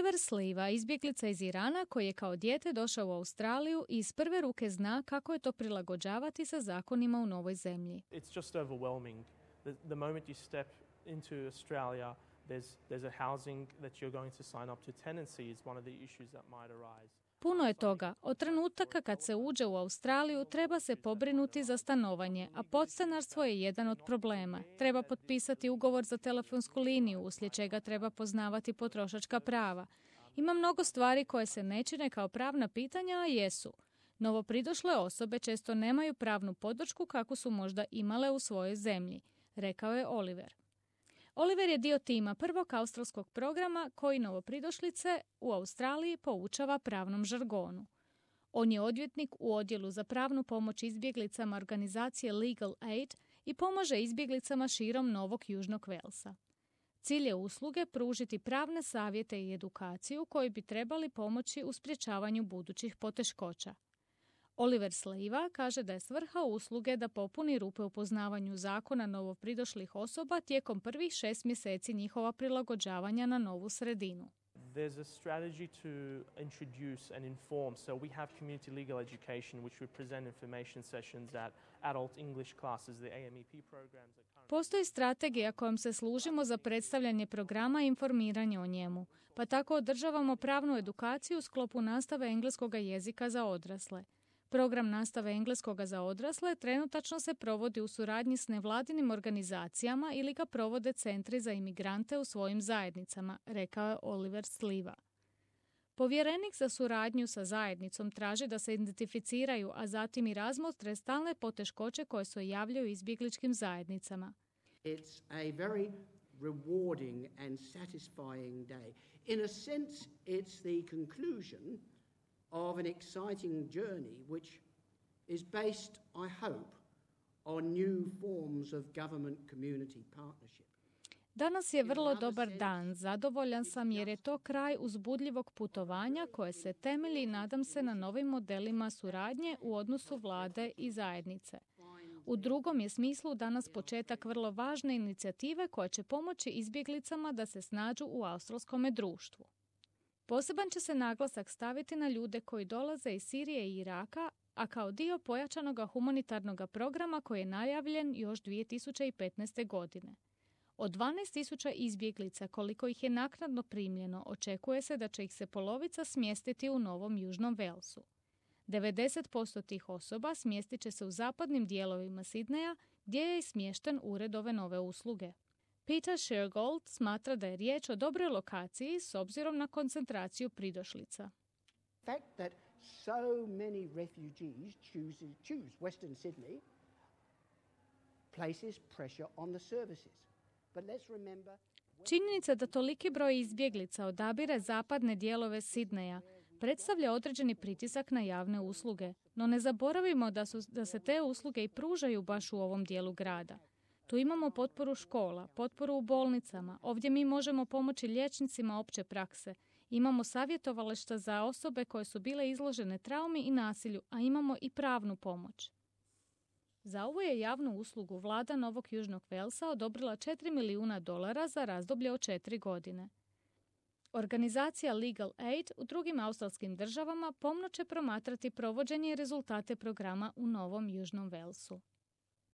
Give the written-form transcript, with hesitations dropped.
Oliver Sliva, izbjeglica iz Irana koji je kao dijete došao u Australiju i iz prve ruke zna kako je to prilagođavati sa zakonima u novoj zemlji. It's just overwhelming. The moment you step into Australia, there's a housing that you're going to sign up to. Tenancy is one of the issues that might arise. Puno je toga. Od trenutaka kad se uđe u Australiju treba se pobrinuti za stanovanje, a podstanarstvo je jedan od problema. Treba potpisati ugovor za telefonsku liniju, uslijed čega treba poznavati potrošačka prava. Ima mnogo stvari koje se ne čine kao pravna pitanja, a jesu. Novopridošle osobe često nemaju pravnu podršku kakvu su možda imale u svojoj zemlji, rekao je Oliver. Oliver je dio tima prvog australskog programa koji novopridošlice u Australiji poučava pravnom žargonu. On je odvjetnik u odjelu za pravnu pomoć izbjeglicama organizacije Legal Aid i pomaže izbjeglicama širom Novog Južnog Velsa. Cilj je usluge pružiti pravne savjete i edukaciju koji bi trebali pomoći u sprječavanju budućih poteškoća. Oliver Sliva kaže da je svrha usluge da popuni rupe u poznavanju zakona novopridošlih osoba tijekom prvih 6 mjeseci njihova prilagođavanja na novu sredinu. There's a strategy to introduce and inform. So we have community legal education, which we present information sessions at adult English classes, the AMEP programs. Postoji strategija kojom se služimo za predstavljanje programa i informiranje o njemu, pa tako održavamo pravnu edukaciju u sklopu nastave engleskog jezika za odrasle. Program nastave engleskoga za odrasle trenutačno se provodi u suradnji s nevladinim organizacijama ili ga provode centri za imigrante u svojim zajednicama, rekao je Oliver Sliva. Povjerenik za suradnju sa zajednicom traži da se identificiraju, a zatim i razmotre stalne poteškoće koje se javljaju izbjegličkim zajednicama. It's a very rewarding and satisfying day. In a sense, it's the conclusion of an exciting journey which is based, I hope, on new forms of government-community partnership. Danas je vrlo dobar dan, zadovoljan sam jer je to kraj uzbudljivog putovanja koje se temelji, nadam se, na novim modelima suradnje u odnosu vlade i zajednice. U drugom je smislu danas početak vrlo važne inicijative koja će pomoći izbjeglicama da se snađu u australskome društvu. Poseban će se naglasak staviti na ljude koji dolaze iz Sirije i Iraka, a kao dio pojačanog humanitarnog programa koji je najavljen još 2015. godine. Od 12.000 izbjeglica koliko ih je naknadno primljeno, očekuje se da će ih se polovica smjestiti u Novom Južnom Velsu. 90% tih osoba smjestit će se u zapadnim dijelovima Sidneja, gdje je i smješten ured ove nove usluge. Peter Shergold smatra da je riječ o dobroj lokaciji s obzirom na koncentraciju pridošlica. The fact that so many refugees choose Western Sydney places pressure on the services. But let's remember... Činjenica da toliki broj izbjeglica odabire zapadne dijelove Sidneja predstavlja određeni pritisak na javne usluge, no ne zaboravimo da se te usluge i pružaju baš u ovom dijelu grada. Tu imamo potporu škola, potporu u bolnicama, ovdje mi možemo pomoći liječnicima opće prakse, imamo savjetovališta za osobe koje su bile izložene traumi i nasilju, a imamo i pravnu pomoć. Za ovu je javnu uslugu vlada Novog Južnog Velsa odobrila $4 milijuna za razdoblje od 4 godine. Organizacija Legal Aid u drugim australskim državama pomno će promatrati provođenje i rezultate programa u Novom Južnom Velsu.